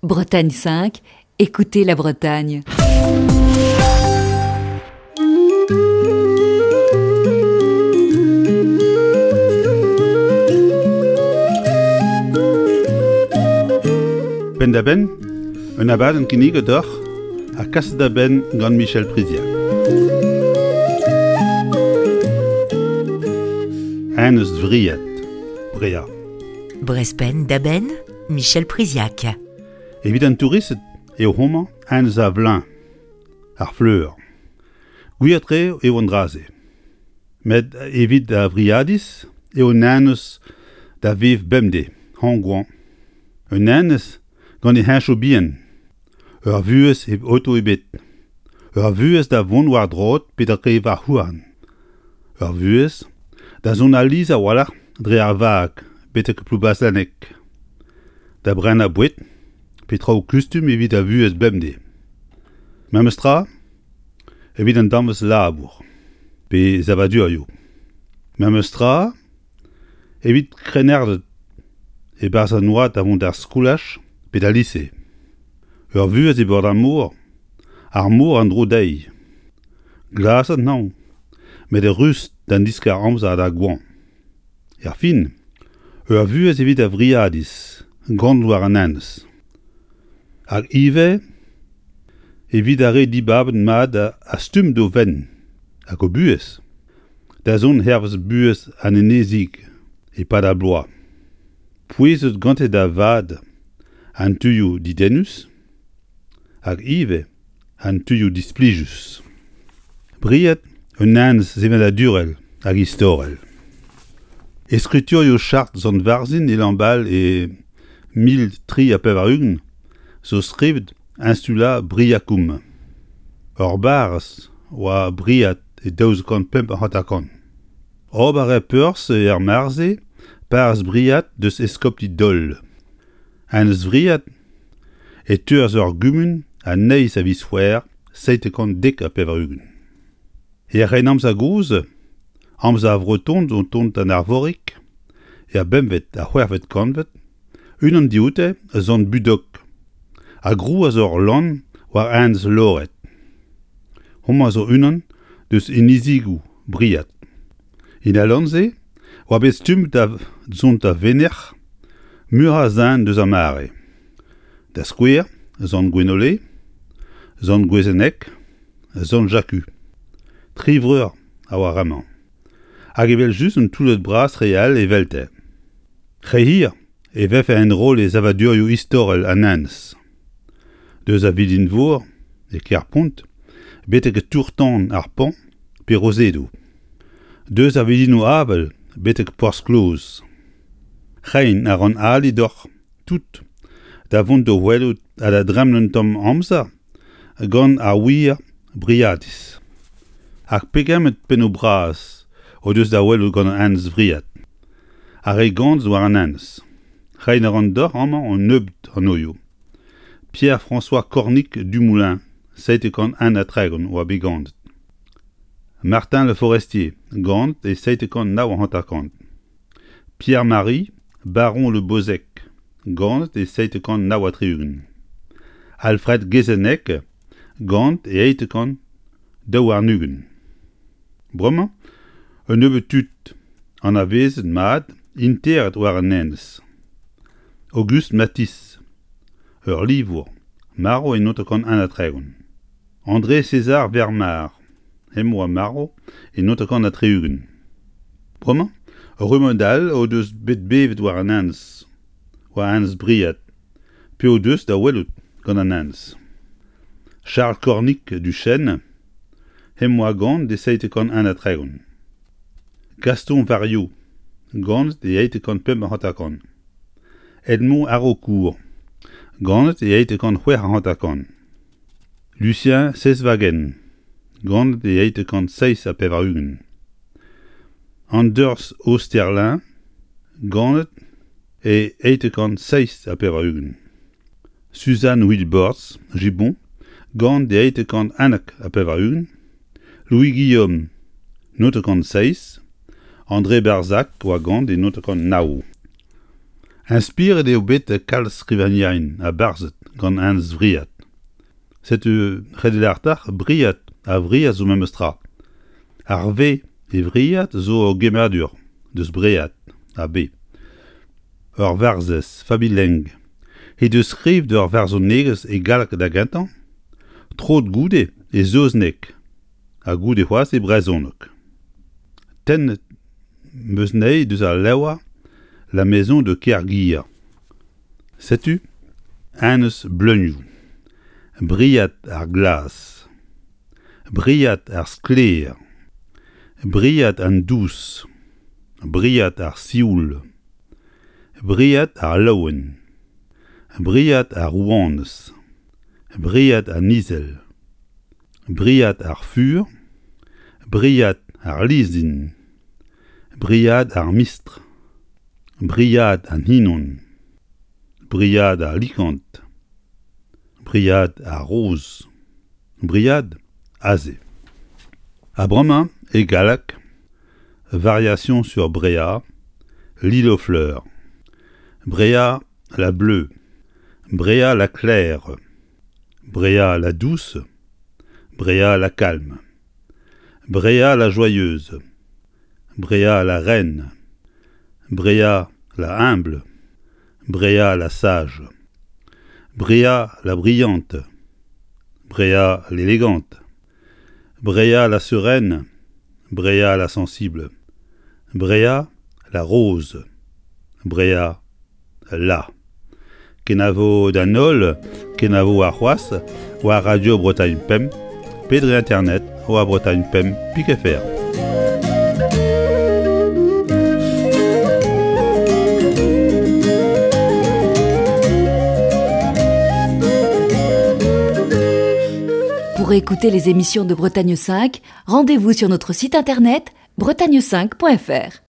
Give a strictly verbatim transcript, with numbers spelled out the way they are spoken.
Bretagne cinq, écoutez la Bretagne. Penn-da-benn, un abadenn kinniget deoc'h ha kaset da benn gant Michel Priziac. Enez Vriad, Brea. Brest Penn-da-benn, Michel Priziac. Evit an touristed eo homañ enez a vleuñv, ar fleur. Gwir-tre eo an dra-se. Met evit ar Vriadiz eo un enez da vev bemdez, hañv-goañv. Un enez gant e heñchoù bihan, ur vuhez hep oto ebet, ur vuhez da vont war droad pe dre varc'h-houarn, ur vuhez da zont alies a-walc'h dre ar vag betek Ploubazlanec, da brenañ boued pe traoù kustum evit ar vuhez bemdez. Memes tra evit an danvez labour pe savadurioù. Memes tra evit krennarded e-barzh an oad da vont d'ar skolaj pe d'al lise. Ur vuhez e bord ar mor, ar mor en-dro dezhi. Glas an hañv, met rust d'an diskar-amzer d'ar goañv. Erfin, ur vuhez evit ar Vriadiz, gant war an enez. Hag ivez evit ar re dibabet mat a stumm d'o fenn hag o buhez, da zont hervez buhez an enezig e-pad ar bloaz. Pouezet gante da vat an tuioù dedennus hag ivez an tuioù displijus. Briad un enez sevenadurel hag istorel. E skriturioù chart Sant Varzhin e Lambal e mil tri ha pevar-ugent zo skrivet Insula Briacum. Ur barrez oa Briad e daouzek kant pemp ha hanter-kant. Ober e perzh er mare-se parrez Briad deus eskopti Dol. Enez Vriad e teuas ur gumun an eizh a viz C'hwevrer seitek kant dek ha pevar-ugent. Er Grennamzer gozh, amzer ar Vretoned o tont d'an Arvorig, er bempvet ha c'hwec'hvet kantved, unan dioute Sant Budog, a grouas ur lann war enez Lored. Homañ zo unan deus inizigoù Briad. En al lann-se oa bet stummet da zont da venec'h meur a zen deus ar mare. Da skouer, Sant Gwenole, Sant Gwezeneg, Sant Jaku. Tri vreur a oa remañ. Hag evel-just un toullad bras re all evelte. Re hir e vefe enroll e savadurioù istorel an enez. Deus a Vilin-Vor, e Kerpont, betek tour-tan ar Pont pe Rosedoù. Deus a Vilinoù-Avel betek Porzh-Kloz. Reiñ a ran ali deoc'h tout da vont d'o welout ha da dremen un tamm amzer gant ar wir Briadiz. Hag pegement pennoù bras o deus da welout gant an enez Vriad. Ar re ganet war an enez. Reiñ a ran deoc'h amañ un nebeud anozho. Pierre-François Cornic Dumoulin, seitek kant un ha tregont oa bet ganet. Martin Le Forestier, ganet e seitek kant nav ha hanter-kant. Pierre-Marie, baron Le Bozec, ganet e seitek kant nav ha tri-ugent. Alfred Guezennec, ganet e eizhtek kant daou warn-ugent. Bremañ, un nebeud tud anavezet mat interet war an enez. Auguste Matisse, ur livour, marv e naontek kant un ha tregont. André César Vermar, hemañ oa marv e naontek kant ha tri-ugent. Bremañ, ur rummad all o deus bet bevet war an enez, war enez Briad, pe o deus da welout gant an enez. Charles Cornic du Chêne, hemañ oa ganet e seitek kant un ha tregont. Gaston Vario, ganet e eizhtek kant pemp ha hanter-kant. Edmond Haraucourt, ganet e eizhtek kant c'hwec'h ha hanter-kant. Lucien Sesvagen, ganet e eizhtek kant seizh ha pevar-ugent. Anders Osterlin, ganet e eizhtek kant seizh ha pevar-ugent. Suzanne Wilborts, Gibbon, ganet e eizhtek kant unnek ha pevar-ugent. Louis Guillaume, naontek kant seizh. André Barzac oa ganet e naontek kant nav. Inspiret eo bet kalz skrivagnerien ha barzhed gant Enez Vriad. Setu ret eo lâret Briad ha Vriad zo memes tra. Ar V e Vriad zo ur gemmadur deus Bread ha B. Ur varzhez, Fabi Leng, he deus skrivet ur varzhonegezh e galleg da gentañ, troet goude e saozneg ha goude c'hoazh e brezhoneg. Tennet 'm eus anezhi deus al levr La maison de Kerguir. Setu Enez Bleunioù, Briad ar glas, Briad ar sklaer, Briad an dous, Briad ar sioul, Briad ar laouen, Briad ar rouanez, Briad an izel, Briad ar fur, Briad ar lizin, Briad ar mistr, Briad an hinon, Briad ar likant, Briad ar roz, Briad aze. Ha bremañ e galleg, Variation sur Bréa, L'île aux fleurs. Bréa la bleue, Bréa la claire, Bréa la douce, Bréa la calme, Bréa la joyeuse, Bréa la reine, Bréa la humble, Bréa la sage, Bréa la brillante, Bréa l'élégante, Bréa la sereine, Bréa la sensible, Bréa la rose, Bréa la. Kenavo d'an holl, kenavo warc'hoazh, war Radio Bretagne Pemp, pe dre internet, war Bretagne Pemp pik F R. Pour écouter les émissions de Bretagne cinq, rendez-vous sur notre site internet bretagne cinq point F R.